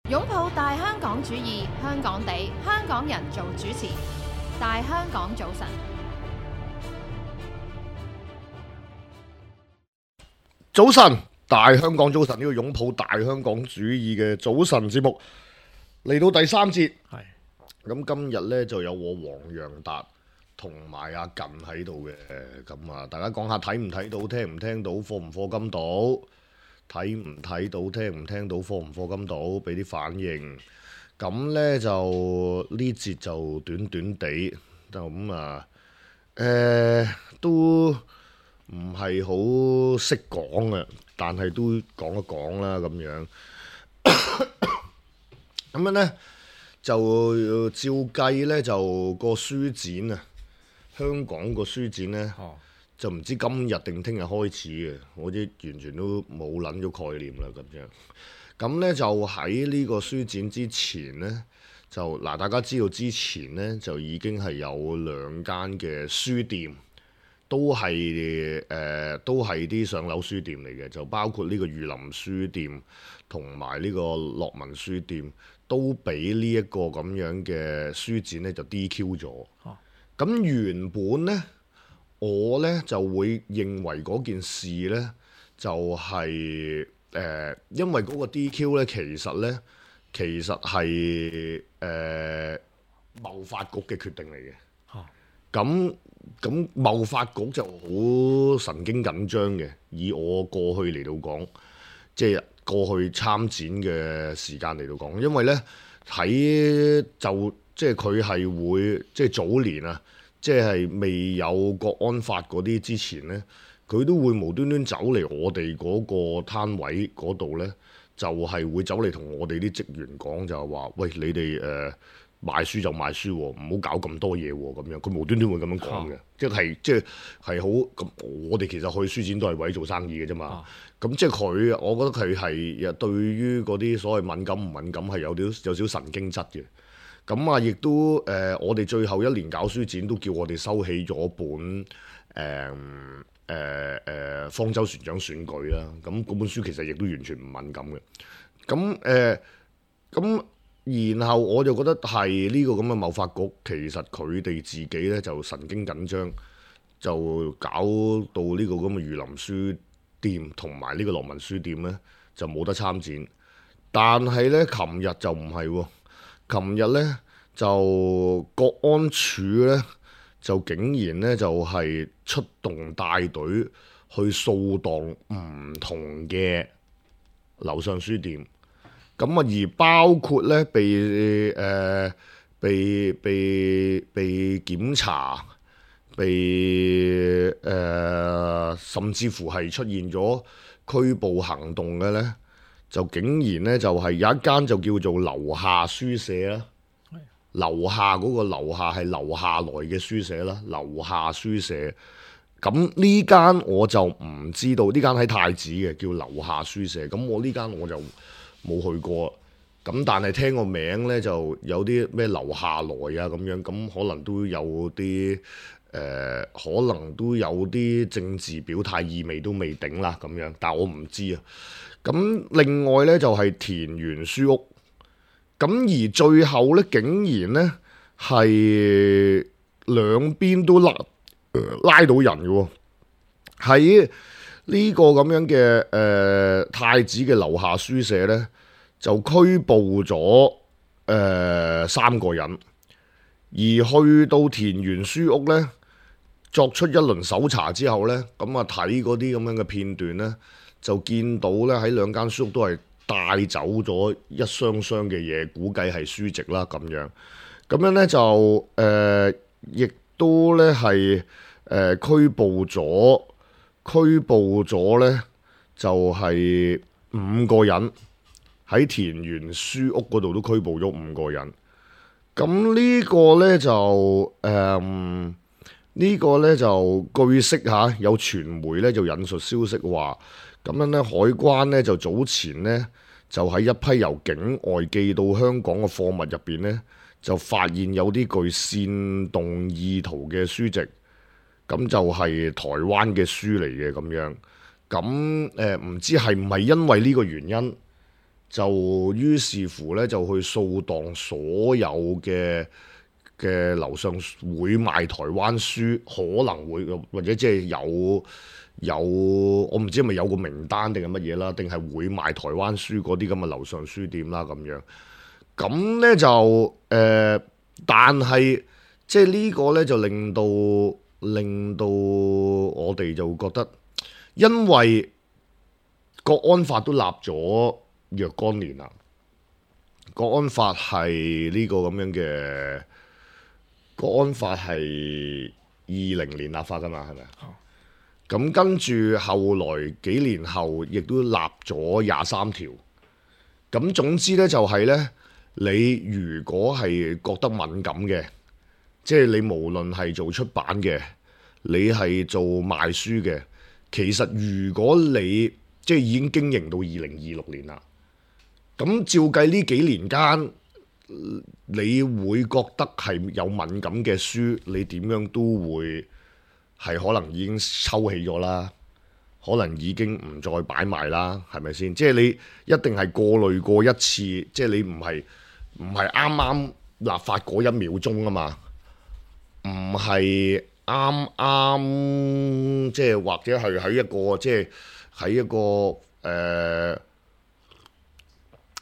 擁抱大香港主義，香港地，香港人做主持。大香港早晨，早晨，大香港早晨，呢個擁抱大香港主義嘅早晨節目嚟到第三節。係咁今日呢，就有我黃洋達同埋阿近喺度嘅。咁啊，大家講下睇唔睇到，聽唔聽到，課唔課金到，睇唔睇到，聽唔聽到，課唔課金到，俾啲反應。咁呢，就呢節就短短地就咁啊，都唔係好識講嘅，但係都講一講啦咁樣。咁樣呢，就照計呢，就個書展啊，香港個書展呢，就唔知今日定聽日開始嘅，我啲完全都冇撚咗概念啦咁樣。咁呢，就喺呢個書展之前呢，就嗱大家知道之前呢，就已經係有兩間嘅書店。都係啲上樓書店嚟嘅，就包括呢個御林書店同埋呢個樂文書店，都俾呢一個咁樣嘅書展呢就 DQ 咗。咁原本呢，我呢就會認為嗰件事呢，就係因為嗰個 DQ 呢，其實係貿發局嘅決定嚟嘅。咁貿發局就好神經緊張嘅，以我過去嚟到講，即係過去參展嘅時間嚟到講，因為呢，即係佢係會即係早年啊，即係未有國安法嗰啲之前呢，佢都會無端端走嚟我哋嗰個攤位嗰度呢，就係會走嚟同我哋啲職員講，就係話：喂，你哋賣書就賣書喎，唔好搞咁多嘢喎，咁樣佢無端端會咁樣講嘅，即係好咁。我哋其實去書展都係為做生意嘅啫嘛。咁即係佢，我覺得佢係對於嗰啲所謂敏感唔敏感係有少神經質嘅。咁啊，亦都我哋最後一年搞書展都叫我哋收起咗本方舟船長選舉啦。咁嗰本書其實亦都完全唔敏感嘅。咁然後我就覺得係呢個咁嘅貿發局，其實佢哋自己呢就神經緊張，就搞到呢個咁嘅御林書店同埋呢個樂文書店呢，就冇得參展。但係呢，琴日就唔係喎，琴日呢，就國安處呢，就竟然呢，就係出動帶隊去掃蕩唔同嘅樓上書店。咁啊，而包括咧被檢查，甚至乎係出現咗拘捕行動嘅咧，就竟然咧就係有一間就叫做樓下書社啦，樓下嗰個樓下係樓下來嘅書社啦，樓下書社。咁呢間我就唔知道，呢間喺太子嘅叫樓下書社。咁我呢間我就冇去過，咁但係聽個名呢，就有啲咩樓下來啊咁樣，咁可能都有啲政治表態意味都未定啦咁樣，但係我唔知啊。咁另外呢，就係田園書屋，咁而最後呢，竟然呢係兩邊都拉到人嘅喎，喺呢個咁樣嘅太子嘅樓下書社呢，就拘捕咗3個人，而去到田園書屋呢，作出一輪搜查之後呢，咁啊睇嗰啲咁樣嘅片段呢，就見到呢喺兩間書屋都係帶走咗一箱箱嘅嘢，估計係書籍啦咁樣。咁樣呢，就亦都呢係拘捕咗呢，就係5個人，喺田園書屋嗰度都拘捕咗5個人。咁呢個呢就據悉嚇，有傳媒呢就引述消息話，咁樣呢海關呢就早前呢就喺一批由境外寄到香港嘅貨物入邊呢，就發現有啲具煽動意圖嘅書籍。咁就係台灣嘅書嚟嘅咁樣，咁唔知係唔係因為呢個原因，就於是乎咧就去掃蕩所有嘅樓上會賣台灣書，可能會或者即係有我唔知係咪有個名單定係乜嘢啦，定係會賣台灣書嗰啲咁嘅樓上書店啦咁樣。咁咧就但係即係呢個咧就令到我哋就覺得，因為國安法都立咗若干年啦，國安法係呢個咁樣嘅，國安法係2020年立法噶嘛，係咪啊？咁跟住後來幾年後，亦都立咗23條。咁總之咧就係咧，你如果係覺得敏感嘅，即係你無論係做出版嘅，你係做賣書嘅，其實如果你即係已經經營到2026年啦，咁照計呢幾年間，你會覺得係有敏感嘅書，你點樣都會係可能已經抽起咗啦，可能已經唔再擺賣啦，係咪先？即係你一定係過濾過一次，即係你唔係啱啱立法嗰1秒鐘啊嘛，唔係啱即係或者係喺一個即係喺一個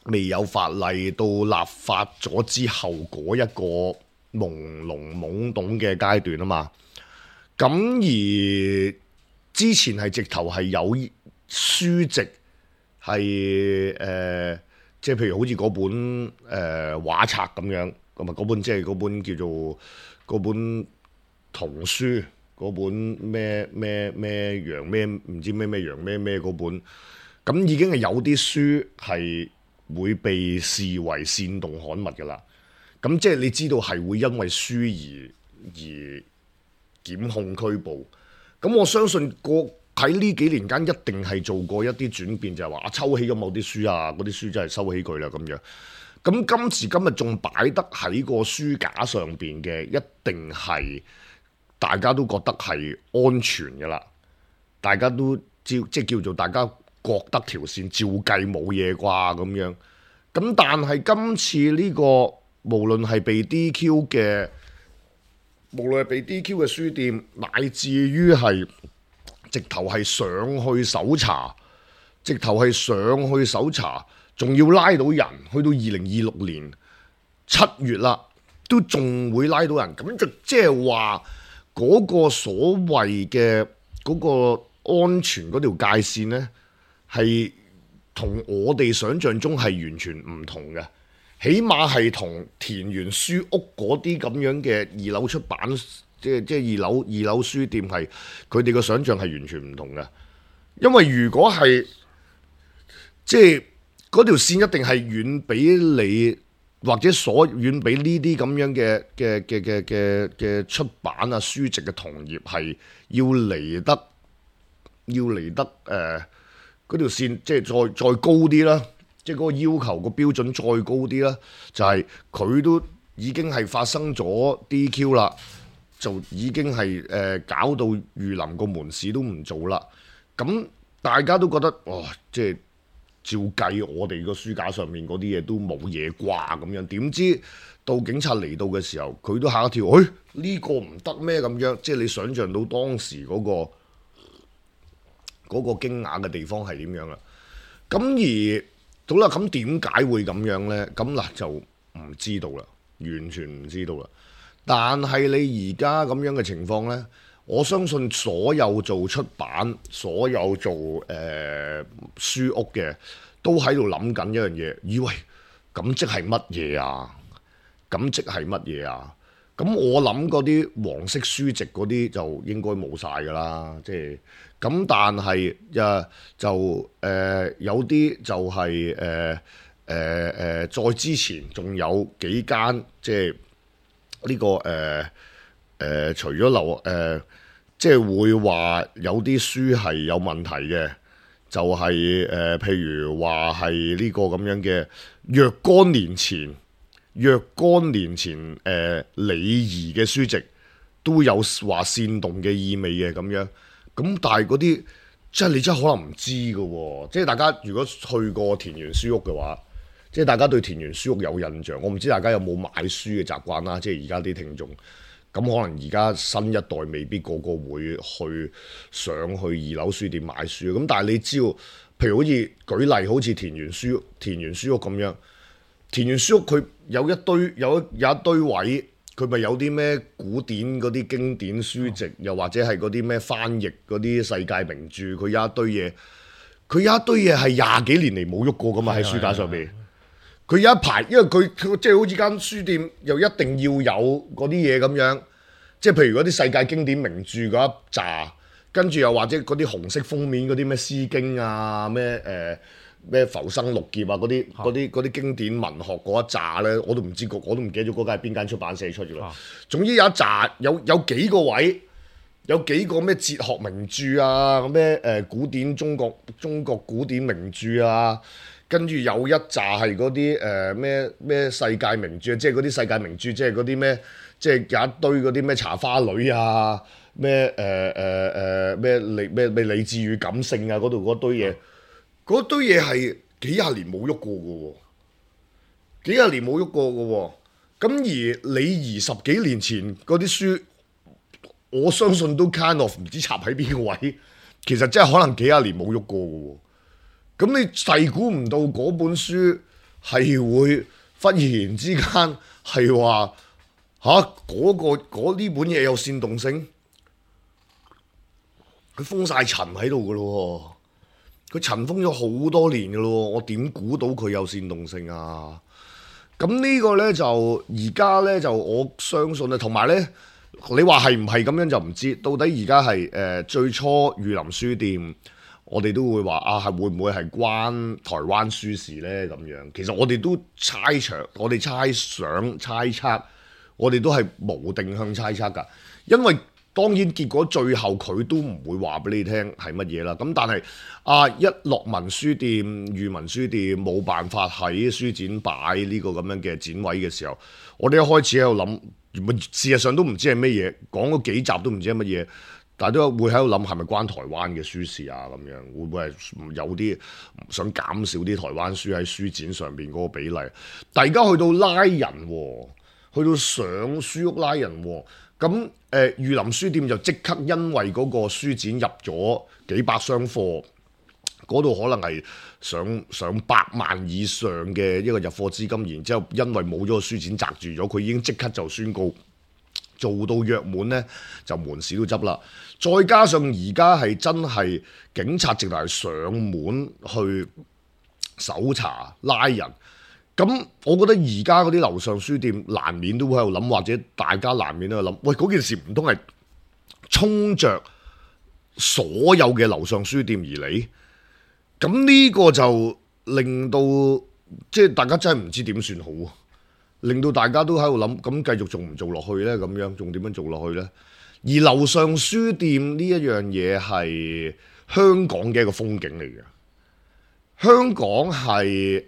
未有法例到立法咗之後嗰一個朦朧懵懂嘅階段啊嘛。咁而之前係直頭係有書籍係即係譬如好似嗰本畫冊咁樣，咁啊嗰本即係嗰本叫做嗰本童書，嗰本咩羊咩唔知咩羊咩嗰本，咁已經係有啲書係會被視為煽動刊物㗎啦。咁即係你知道係會因為書而檢控拘捕，咁我相信喺呢幾年間一定係做過一啲轉變，就係話抽起咗某啲書啊，嗰啲書真係收起佢啦咁樣。咁今時今日仲擺得喺個書架上邊嘅，一定係大家都覺得係安全嘅啦，大家都即係叫做大家覺得條線照計冇嘢啩咁樣。咁但係今次呢個無論係被 DQ 嘅書店，乃至於係直頭係上去搜查，仲要拉到人，去到2026年7月啦，都仲會拉到人，咁就即係話嗰個所謂嘅嗰個安全嗰條界線呢，係同我哋想象中係完全唔同嘅。起碼係同田園書屋嗰啲咁樣嘅2樓出版，即係二樓書店係佢哋嘅想像係完全唔同嘅。因為如果係即係嗰條線一定係遠比你或者遠比呢啲咁樣嘅出版啊書籍嘅同業係要嚟得嗰條線即係再高啲啦。即係嗰個要求個標準再高啲啦，就係佢都已經係發生咗 DQ 啦，就已經係搞到御林個門市都唔做啦。咁大家都覺得哇，即係照計我哋個書架上面嗰啲嘢都冇嘢啩咁樣。點知到警察嚟到嘅時候，佢都嚇一跳，呢個唔得咩咁樣？即係你想像到當時嗰個驚訝嘅地方係點樣啦？咁而好啦，咁點解會咁樣呢？咁嗱就唔知道啦，完全唔知道啦。但係你而家咁樣嘅情況呢，我相信所有做出版、所有做書屋嘅，都喺度諗緊一樣嘢，以為咁即係乜嘢啊？咁即係乜嘢啊？咁我諗嗰啲黃色書籍嗰啲就應該冇晒㗎啦，即係咁。但係有啲就係再之前仲有幾間即係呢個除咗即係會話有啲書係有問題嘅，就係譬如話係呢個咁樣嘅若干年前李怡嘅書籍都有話煽動嘅意味嘅咁樣，咁但係嗰啲即係你真係可能唔知㗎喎，即係大家如果去過田園書屋嘅話，即係大家對田園書屋有印象，我唔知大家有冇買書嘅習慣啦。即係而家啲聽眾，咁可能而家新一代未必個個會上去2樓書店買書，咁但係你知道，譬如好似舉例，好似田園書屋咁樣，田園書屋佢有一堆位，佢咪有啲咩古典嗰啲經典書籍，又或者係嗰啲咩翻譯嗰啲世界名著，佢有一堆嘢，係20幾年嚟冇喐過噶嘛，喺書架上邊。佢有一排，因為佢即係好似間書店又一定要有嗰啲嘢咁樣，即係譬如嗰啲世界經典名著嗰一紮，跟住又或者嗰啲紅色封面嗰啲咩詩經啊，咩浮生六傑啊，嗰啲經典文學嗰一紮咧，我都唔記得咗嗰間係邊間出版社出嘅啦。總之有一紮有幾個位，有幾個咩哲學名著啊，咩古典中國古典名著啊。跟住有一紮係嗰啲咩世界名著，即係嗰啲世界名著，即係嗰啲咩，即係有一堆嗰啲咩茶花女啊，咩理智與感性啊，嗰度嗰堆嘢係幾廿年冇喐過嘅喎，咁而李怡10幾年前嗰啲書，我相信都 kind of 唔知插喺邊個位，其實真係可能幾廿年冇喐過嘅喎。咁你細估唔到嗰本書係會忽然之間係話呢本嘢有煽動性，佢封晒塵喺度噶咯，佢塵封咗好多年噶咯，我點估到佢有煽動性啊？咁呢個呢，就而家呢，就我相信啊，同埋呢，你話係唔係咁樣就唔知，到底而家係最初御林書店。我哋都會話啊，係會唔會係關台灣書事呢？咁樣其實我哋都猜想、我哋猜測，我哋都係無定向猜測㗎。因為當然結果最後佢都唔會話俾你聽係乜嘢啦。咁但係一樂文書店、裕民書店冇辦法喺書展擺呢個咁樣嘅展位嘅時候，我哋一開始喺度諗，原本事實上都唔知係乜嘢，講嗰幾集都唔知係乜嘢。但係都會喺度諗係咪關台灣嘅書事啊？咁樣會唔會係有啲想減少啲台灣書喺書展上邊嗰個比例？但係而家去到拉人喎，去到上書屋拉人喎，咁裕林書店就即刻因為嗰個書展入咗幾百箱貨，嗰度可能係上百萬以上嘅一個入貨資金，然之後因為冇咗個書展擲住咗，佢已經即刻就宣告。做到約滿呢，就門市都執啦。再加上而家係真係警察直頭係上門去搜查拉人，咁我覺得而家嗰啲樓上書店難免都會喺度諗，或者大家難免都喺度諗，喂，嗰件事唔通係衝着所有嘅樓上書店而嚟？咁呢個就令到即係大家真係唔知點算好。令到大家都喺度諗，咁繼續仲唔做落去呢？咁樣仲點樣做落去呢？而樓上書店呢一樣嘢係香港嘅一個風景嚟嘅。香港係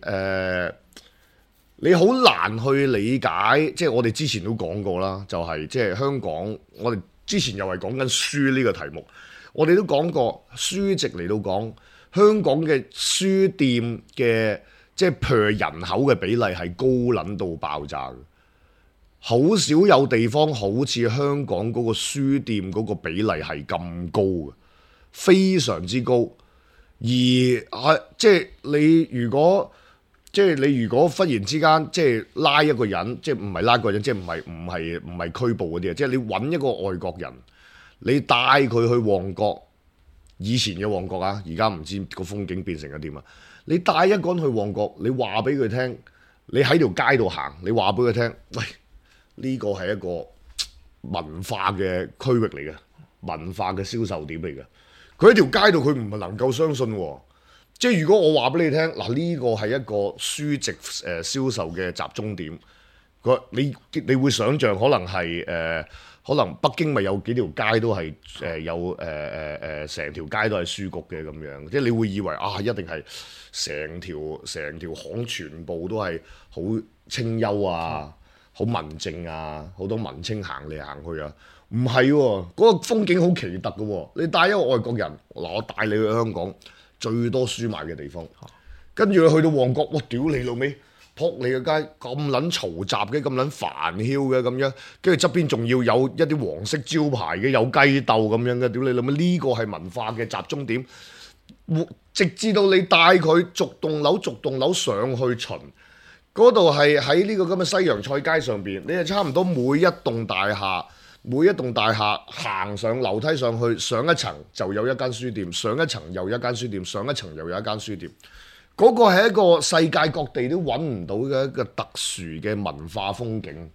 你好難去理解，即係我哋之前都講過啦，就係即係香港，我哋之前又係講緊書呢個題目，我哋都講過書籍嚟到講香港嘅書店嘅。即係 per 人口嘅比例係高撚到爆炸嘅，好少有地方好似香港嗰個書店嗰個比例係咁高嘅，非常之高。而即係你如果忽然之間即係拉一個人，即係唔係拉一個人，即係唔係拘捕嗰啲啊，即係你揾一個外國人，你帶佢去旺角，以前嘅旺角啊，而家唔知個風景變成咗點啊！你帶一個人去旺角，你話俾佢聽，你喺條街度行，你話俾佢聽，喂，呢個係一個文化嘅區域嚟嘅，文化嘅銷售點嚟嘅。佢喺條街度，佢唔係能夠相信喎。即係如果我話俾你聽，嗱，呢個係一個書籍銷售嘅集中點，你會想像可能係可能北京咪有幾條街都係有成條街都係書局嘅咁樣，即係你會以為啊，一定係成條巷全部都係好清幽啊，好文靜啊，好多文青行嚟行去啊，唔係喎，嗰個風景好奇特嘅喎。你帶一個外國人，嗱，我帶你去香港最多書賣嘅地方，跟住你去到旺角，哇！屌你老味，撲你個街咁撚嘈雜嘅，咁撚煩囂嘅咁樣，跟住側邊仲要有一啲黃色招牌嘅，有雞竇咁樣嘅，屌你諗乜呢個係文化嘅集中點？直至到你帶佢逐棟樓上去巡，嗰度係喺呢個咁嘅西洋菜街上邊，你係差唔多每一棟大廈行上樓梯上去，上一層就有一間書店，上一層又一間書店，上一層又有一間書店。嗰個係一個世界各地都揾唔到嘅一個特殊嘅文化風景。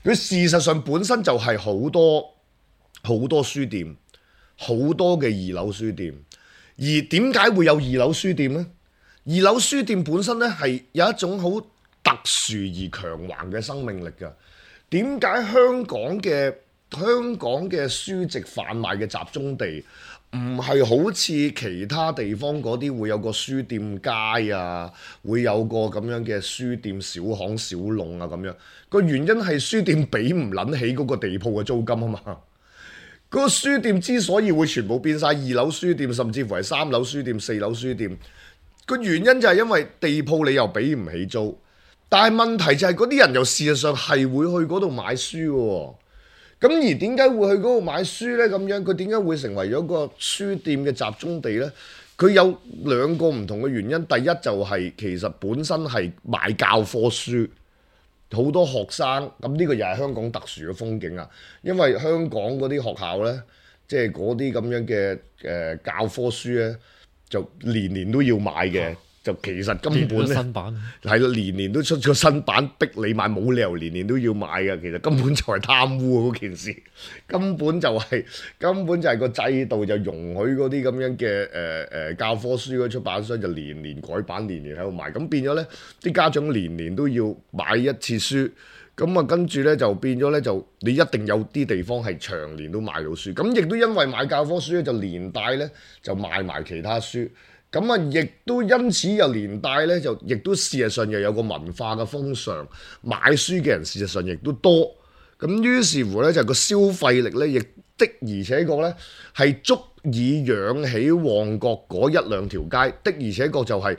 佢事實上本身就係好多書店，好多嘅二樓書店。而點解會有二樓書店呢？二樓書店本身咧係有一種好特殊而強橫嘅生命力㗎。點解香港嘅書籍販賣嘅集中地唔係好似其他地方嗰啲會有個書店街啊，會有個咁樣嘅書店小巷小弄啊咁樣？個原因係書店俾唔撚起嗰個地鋪嘅租金啊嘛。嗰個書店之所以會全部變晒二樓書店，甚至乎係3樓書店、4樓書店，個原因就係因為地鋪你又俾唔起租，但係問題就係嗰啲人又事實上係會去嗰度買書嘅喎。咁而點解會去嗰度買書呢？咁樣佢點解會成為咗個書店嘅集中地呢？佢有2個唔同嘅原因。第一就係其實本身係買教科書。好多學生，咁呢個又係香港特殊嘅風景啊！因為香港嗰啲學校呢，即係嗰啲咁樣嘅教科書呢，就年年都要買嘅，就其實根本呢，新版係啦，年年都出咗新版，逼你買，冇理由年年都要買嘅。其實根本就係貪污嗰件事，根本就係個制度就容許嗰啲咁樣嘅教科書嗰出版商就年年改版，年年喺度賣，咁變咗呢啲家長年年都要買一次書，咁啊跟住呢就變咗呢，就你一定有啲地方係長年都買到書，咁亦都因為買教科書咧就連帶呢就賣埋其他書。咁啊，亦都因此又連帶咧，就亦都事實上又有個文化嘅風尚，買書嘅人事實上亦都多。咁於是乎咧，就個消費力咧，亦的而且確咧係足以養起旺角嗰1-2條街。的而且確就係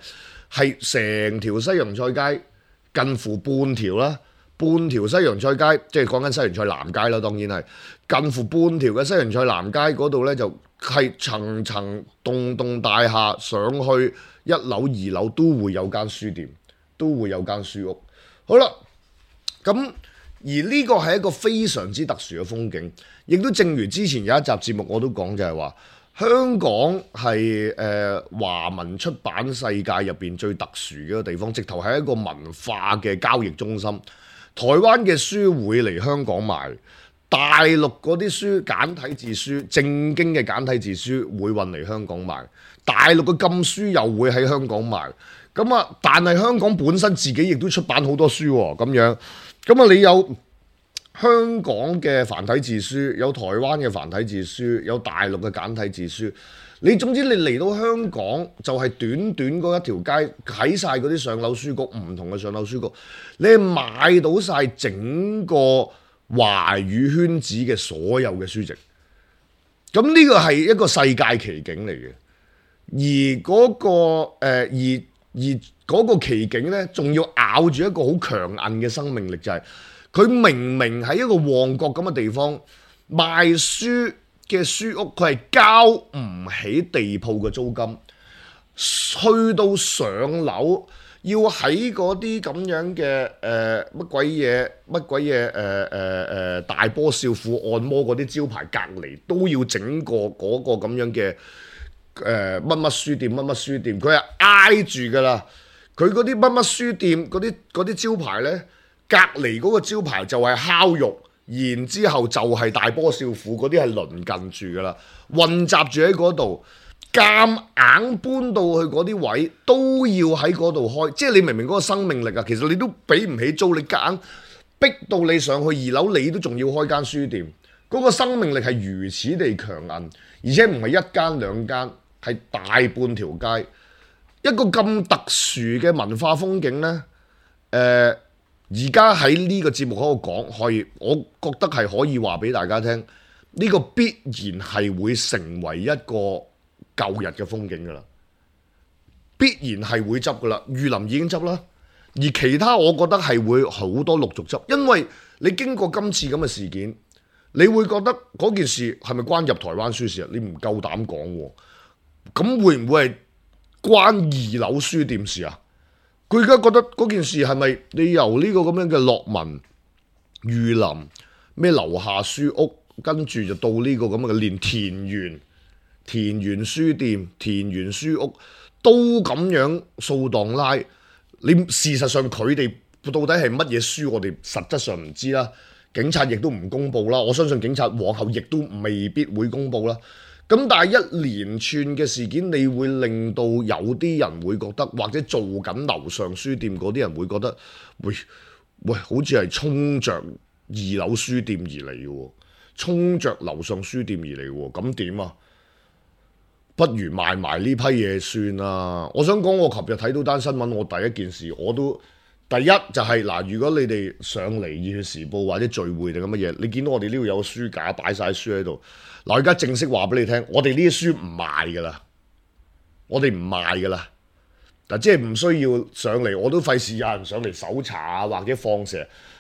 成條西洋菜街近乎半條啦，半條西洋菜街，即係講緊西洋菜南街啦，當然係近乎半條嘅西洋菜南街嗰度咧就。係層層棟大廈上去1樓2樓都會有間書店，都會有間書屋。好啦，咁而呢個係一個非常之特殊嘅風景，亦都正如之前有一集節目我都講，就係話香港係華文出版世界入邊最特殊嘅一個地方，直頭係一個文化嘅交易中心。台灣嘅書會嚟香港賣。大陸嗰啲書簡體字書，正經嘅簡體字書會運嚟香港賣，大陸嘅禁書又會喺香港賣。咁啊，但係香港本身自己亦都出版好多書喎，咁樣。咁啊，你有香港嘅繁體字書，有台灣嘅繁體字書，有大陸嘅簡體字書。你總之你嚟到香港就係短短嗰一條街，喺晒嗰啲上樓書局，唔同嘅上樓書局，你係買到晒整個華語圈子嘅所有嘅書籍，咁呢個係一個世界奇景嚟嘅，而嗰個奇景呢，仲要咬住一個好強硬嘅生命力，就係佢明明喺一個旺角咁嘅地方賣書嘅書屋，佢係交唔起地鋪嘅租金，去到上樓。要喺嗰啲咁樣嘅乜鬼嘢大波少婦按摩嗰啲招牌隔離，都要整個嗰個咁樣嘅乜乜書店乜乜書店，佢係挨住噶啦。佢嗰啲乜乜書店嗰啲招牌呢，隔離嗰個招牌就係烤肉，然之後就係大波少婦嗰啲係鄰近住噶啦，混雜住喺嗰度。夾硬搬到去嗰啲位都要喺嗰度開，即係你明明嗰個生命力啊，其實你都俾唔起租，你夾硬逼到你上去2樓，你都仲要開間書店，嗰個生命力係如此地強硬，而且唔係1間2間，係大半條街，一個咁特殊嘅文化風景呢。而家喺呢個節目喺度講，我覺得係可以話俾大家聽，呢個必然係會成為一個舊日嘅風景㗎啦，必然係會執㗎啦。裕林已經執啦，而其他我覺得係會好多陸續執，因為你經過今次咁嘅事件，你會覺得嗰件事係咪關入台灣書事啊？你唔夠膽講喎，咁會唔會係關二樓書店事啊？佢而家覺得嗰件事係咪你由呢個咁樣嘅樂文、裕林咩樓下書屋，跟住就到呢個咁嘅連田園書店、田園書屋都咁樣掃蕩拉？你事實上佢哋到底係乜嘢書，我哋實質上唔知啦。警察亦都唔公佈啦，我相信警察往後亦都未必會公佈啦。咁但係一連串嘅事件，你會令到有啲人會覺得，或者做緊樓上書店嗰啲人會覺得，喂，好似係衝着二樓書店而嚟嘅喎，衝着樓上書店而嚟喎，咁點啊？不如賣埋呢批嘢算啦。我想講，我琴日睇到單新聞，我第一件事我都第一就係嗱，如果你哋上嚟《熱血時報》或者聚會定咁乜嘢，你見到我哋呢度有個書架擺晒書喺度。嗱，而家正式話俾你聽，我哋呢啲書唔賣噶啦，我哋唔賣噶啦。嗱，即係唔需要上嚟，我都費事有人上嚟搜查啊，或者放蛇。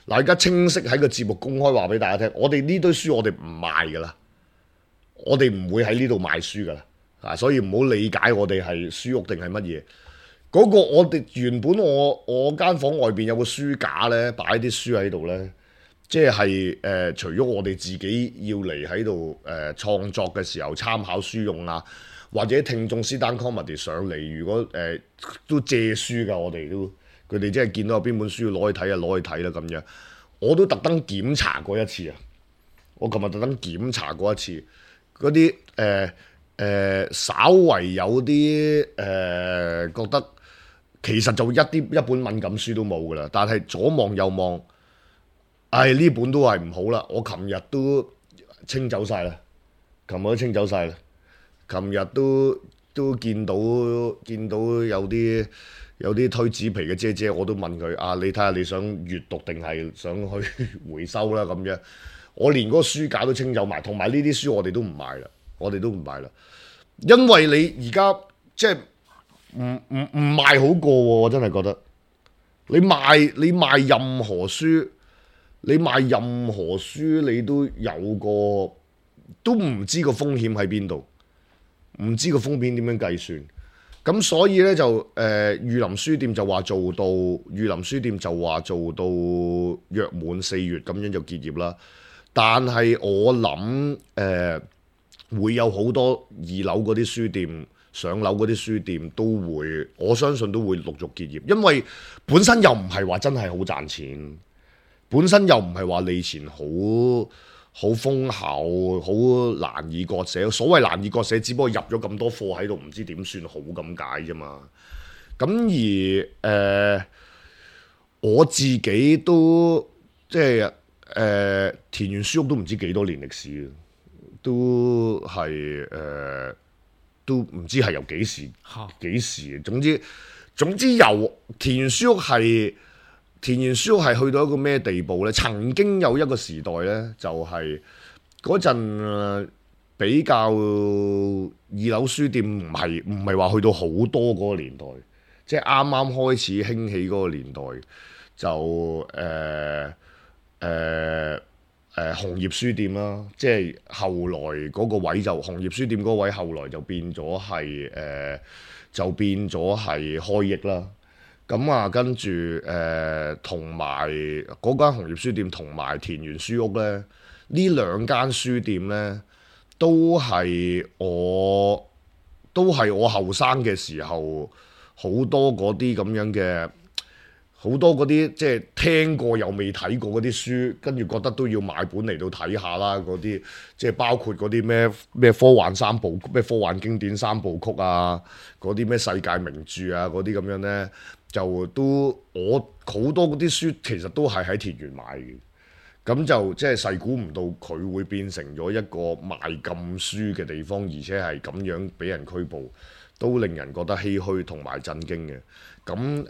嗱，而家清晰喺個節目公開話俾大家聽，我哋呢堆書我哋唔賣噶啦，我哋唔會喺呢度賣書噶啦。啊，所以唔好理解我哋係書屋定係乜嘢。嗰個我哋原本我間房外邊有個書架咧，擺啲書喺度咧，即係除咗我哋自己要嚟喺度創作嘅時候參考書用啊，或者聽眾 stand comedy 上嚟，如果都借書㗎，我哋都佢哋即係見到有邊本書要攞去睇啊，攞去睇啦咁樣。我都特登檢查過一次啊，我琴日特登檢查過一次嗰啲稍為有啲覺得。其實就一本敏感書都冇噶啦，但係左望右望，呢本都係唔好啦。我琴日都清走晒啦，琴日都清走晒啦。琴日都見到有啲推紙皮嘅姐姐，我都問佢你睇下你想閱讀定係想去回收啦咁樣。我連嗰個書架都清走埋，同埋呢啲書我哋都唔賣啦，因為你而家即係。唔賣好過喎，我真係覺得你賣任何書，你都有個都唔知個風險喺邊度，唔知個風險點樣計算。咁所以呢，就裕林書店就話做到約滿4月咁樣就結業啦。但係我諗會有好多二樓嗰啲書店。上樓嗰啲書店都會，我相信都會陸續結業，因為本身又唔係話真係好賺錢，本身又唔係話利錢好豐厚，好難以割捨。所謂難以割捨，只不過入咗咁多貨喺度，唔知點算好咁解啫嘛。咁而我自己都即係田園書屋都唔知幾多年歷史，都係都唔知係由幾時，總之由田園書屋係去到一個咩地步呢？曾經有一個時代呢，就係嗰陣比較二樓書店唔係話去到好多嗰個年代，即係啱啱開始興起嗰個年代，就紅葉書店啦，即係後來嗰個位就紅葉書店嗰位，後來就變咗係開憶啦。咁啊，跟住同埋嗰間紅葉書店同埋田園書屋咧，呢兩間書店咧都係我後生嘅時候好多嗰啲咁樣嘅。好多嗰啲即係聽過又未睇過嗰啲書，跟住覺得都要買本嚟到睇下啦。嗰啲即係包括嗰啲咩科幻科幻經典3部曲啊，嗰啲咩世界名著啊，嗰啲咁樣呢，就都我好多嗰啲書其實都係喺田園買嘅。咁就即係細估唔到佢會變成咗一個賣禁書嘅地方，而且係咁樣俾人拘捕，都令人覺得唏噓同埋震驚嘅。咁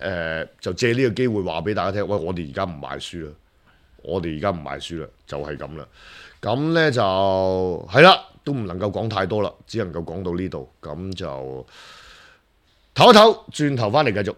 就借呢個機會話俾大家聽，喂，我哋而家唔賣書啦，就係咁啦。咁呢就係啦，都唔能夠講太多啦，只能夠講到呢度。咁就唞一唞，轉頭翻嚟繼續。